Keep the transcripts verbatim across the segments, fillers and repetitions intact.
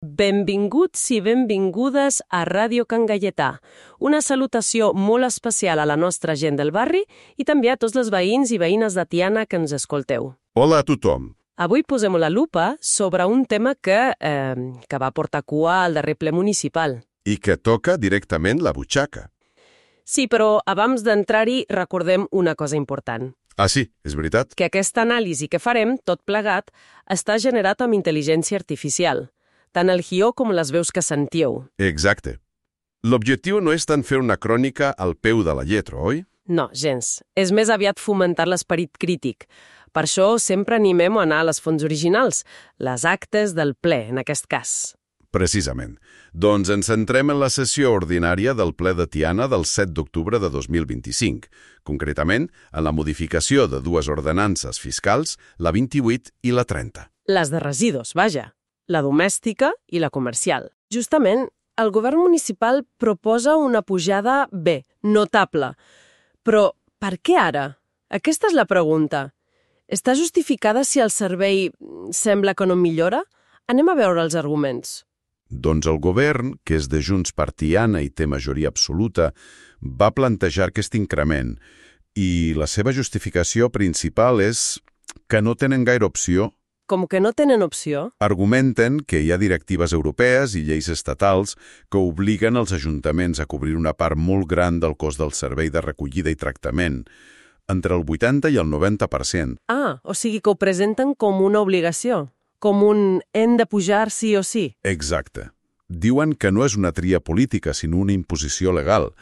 Benvinguts i benvingudes a Ràdio Can Gaietà. Una salutació molt especial a la nostra gent del barri i també a tots els veïns i veïnes de Tiana que ens escolteu. Hola a tothom. Avui posem la lupa sobre un tema que, eh, que va portar cua al darrer ple municipal. I que toca directament la butxaca. Sí, però abans d'entrar-hi recordem una cosa important. Ah, sí, és veritat? Que aquesta anàlisi que farem, tot plegat, està generat amb intel·ligència artificial. Tant el guió com les veus que sentiu. Exacte. L'objectiu no és tant fer una crònica al peu de la lletra, oi? No, gens. És més aviat fomentar l'esperit crític. Per això sempre animem a anar a les fonts originals, les actes del ple, en aquest cas. Precisament. Doncs ens centrem en la sessió ordinària del ple de Tiana del set d'octubre de dos mil vint-i-cinc, concretament en la modificació de dues ordenances fiscals, la vint-i-vuit i la trenta. Les de residus, vaja. La domèstica i la comercial. Justament, el govern municipal proposa una pujada, bé, notable. Però per què ara? Aquesta és la pregunta. Està justificada si el servei sembla que no millora? Anem a veure els arguments. Doncs el govern, que és de Junts per Tiana i té majoria absoluta, va plantejar aquest increment i la seva justificació principal és que no tenen gaire opció. Com que no tenen opció? Argumenten que hi ha directives europees i lleis estatals que obliguen els ajuntaments a cobrir una part molt gran del cost del servei de recollida i tractament, entre el vuitanta i el noventa per cent. Ah, o sigui que ho presenten com una obligació, com un hem de pujar sí o sí. Exacte. Diuen que no és una tria política, sinó una imposició legal.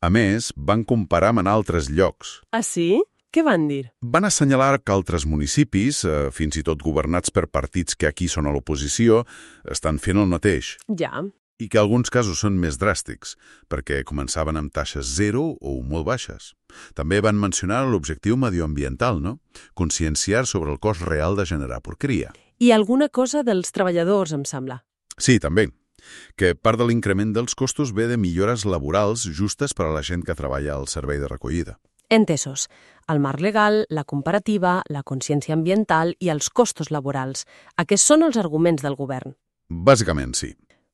A més, van comparar amb altres llocs. Ah, sí? Què van dir? Van assenyalar que altres municipis, eh, fins i tot governats per partits que aquí són a l'oposició, estan fent el mateix. Ja. I que alguns casos són més dràstics, perquè començaven amb taxes zero o molt baixes. També van mencionar l'objectiu medioambiental, no? Conscienciar sobre el cost real de generar porqueria. I alguna cosa dels treballadors, em sembla. Sí, també. Que part de l'increment dels costos ve de millores laborals justes per a la gent que treballa al servei de recollida. Entesos. El marc legal, la comparativa, la consciència ambiental i els costos laborals. Aquests són els arguments del govern. Bàsicament, sí.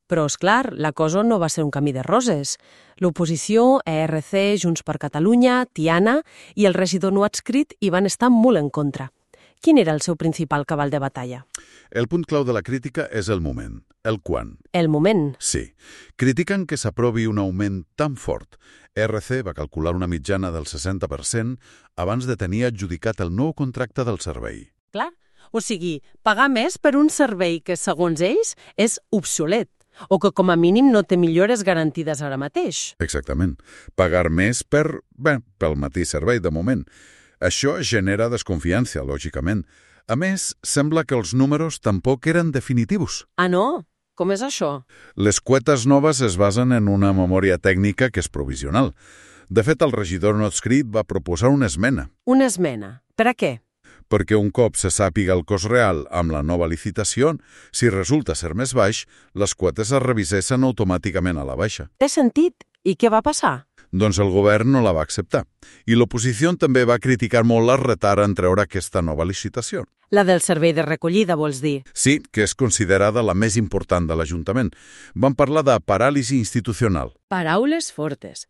Però, és clar, la cosa no va ser un camí de roses. L'oposició, E R C, Junts per Catalunya, Tiana i el regidor no adscrit hi van estar molt en contra. Quin era el seu principal cavall de batalla? El punt clau de la crítica és el moment, el quan. El moment? Sí. Critiquen que s'aprovi un augment tan fort. E R C va calcular una mitjana del seixanta per cent abans de tenir adjudicat el nou contracte del servei. Clar. O sigui, pagar més per un servei que, segons ells, és obsolet o que com a mínim no té millores garantides ara mateix. Exactament. Pagar més per, bé, pel mateix servei de moment. Això genera desconfiança, lògicament. A més, sembla que els números tampoc eren definitius. Ah, no? Com és això? Les quotes noves es basen en una memòria tècnica que és provisional. De fet, el regidor no adscrit va proposar una esmena. Una esmena? Per a què? Perquè un cop se sàpiga el cost real amb la nova licitació, si resulta ser més baix, les quotes es revisessin automàticament a la baixa. Té sentit. I què va passar? Doncs el govern no la va acceptar. I l'oposició també va criticar molt el retard en treure aquesta nova licitació. La del servei de recollida, vols dir? Sí, que és considerada la més important de l'Ajuntament. Van parlar de paràlisi institucional. Paraules fortes.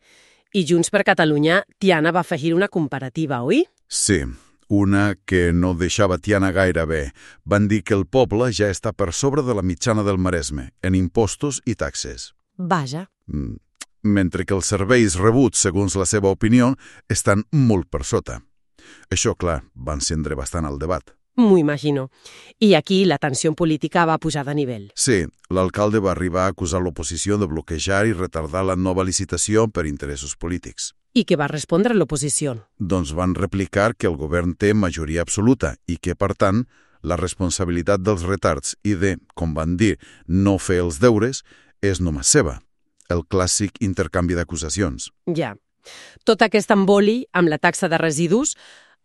I Junts per Catalunya, Tiana va afegir una comparativa, oi? Sí, una que no deixava Tiana gaire bé. Van dir que el poble ja està per sobre de la mitjana del Maresme, en impostos i taxes. Vaja. Mm. Mentre que els serveis rebuts, segons la seva opinió, estan molt per sota. Això, clar, va encendre bastant el debat. M'ho imagino. I aquí la tensió política va pujar de nivell. Sí, l'alcalde va arribar a acusar l'oposició de bloquejar i retardar la nova licitació per interessos polítics. I què va respondre l'oposició? Doncs van replicar que el govern té majoria absoluta i que, per tant, la responsabilitat dels retards i de, com van dir, no fer els deures és només seva. El clàssic intercanvi d'acusacions. Ja. Tot aquest emboli amb la taxa de residus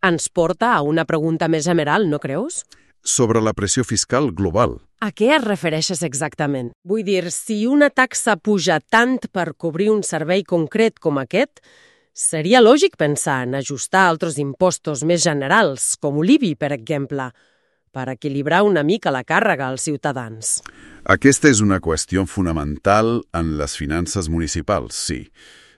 ens porta a una pregunta més general, no creus? Sobre la pressió fiscal global. A què es refereixes exactament? Vull dir, si una taxa puja tant per cobrir un servei concret com aquest, seria lògic pensar en ajustar altres impostos més generals, com l'I B I, per exemple. per equilibrar una mica la càrrega als ciutadans. Aquesta és una qüestió fonamental en les finances municipals, sí.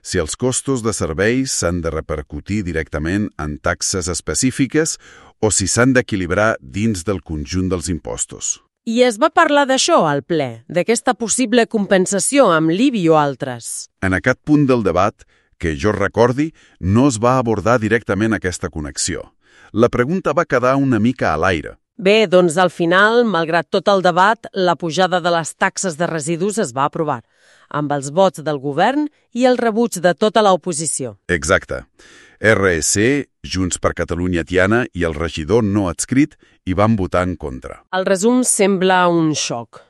Si els costos de serveis s'han de repercutir directament en taxes específiques o si s'han d'equilibrar dins del conjunt dels impostos. I es va parlar d'això al ple, d'aquesta possible compensació amb l'I B I o altres. En aquest punt del debat, que jo recordi, no es va abordar directament aquesta connexió. La pregunta va quedar una mica a l'aire. Bé, doncs al final, malgrat tot el debat, la pujada de les taxes de residus es va aprovar, amb els vots del govern i el rebuig de tota l'oposició. Exacte. R S C, Junts per Catalunya Tiana i el regidor no adscrit hi van votar en contra. El resum sembla un xoc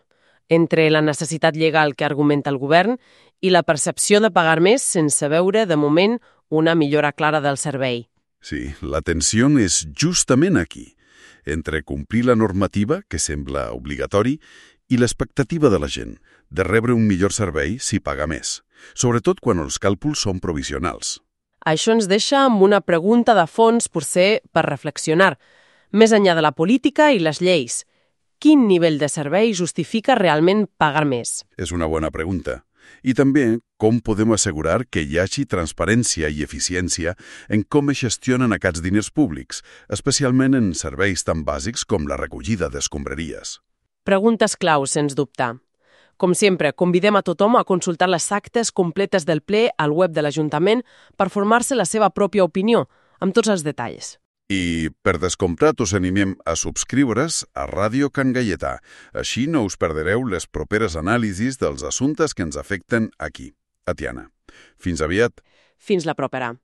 entre la necessitat legal que argumenta el govern i la percepció de pagar més sense veure, de moment, una millora clara del servei. Sí, la tensió és justament aquí, entre complir la normativa, que sembla obligatori, i l'expectativa de la gent, de rebre un millor servei si paga més, sobretot quan els càlculs són provisionals. Això ens deixa amb una pregunta de fons, potser per reflexionar. Més enllà de la política i les lleis, quin nivell de servei justifica realment pagar més? És una bona pregunta. I també com podem assegurar que hi hagi transparència i eficiència en com es gestionen aquests diners públics, especialment en serveis tan bàsics com la recollida d'escombraries. Preguntes clau, sens dubte. Com sempre, convidem a tothom a consultar les actes completes del ple al web de l'Ajuntament per formar-se la seva pròpia opinió, amb tots els detalls. I, per descomptat, us animem a subscriure's a Ràdio Can Gaietà. Així no us perdereu les properes anàlisis dels assumptes que ens afecten aquí, a Tiana. Fins aviat. Fins la propera.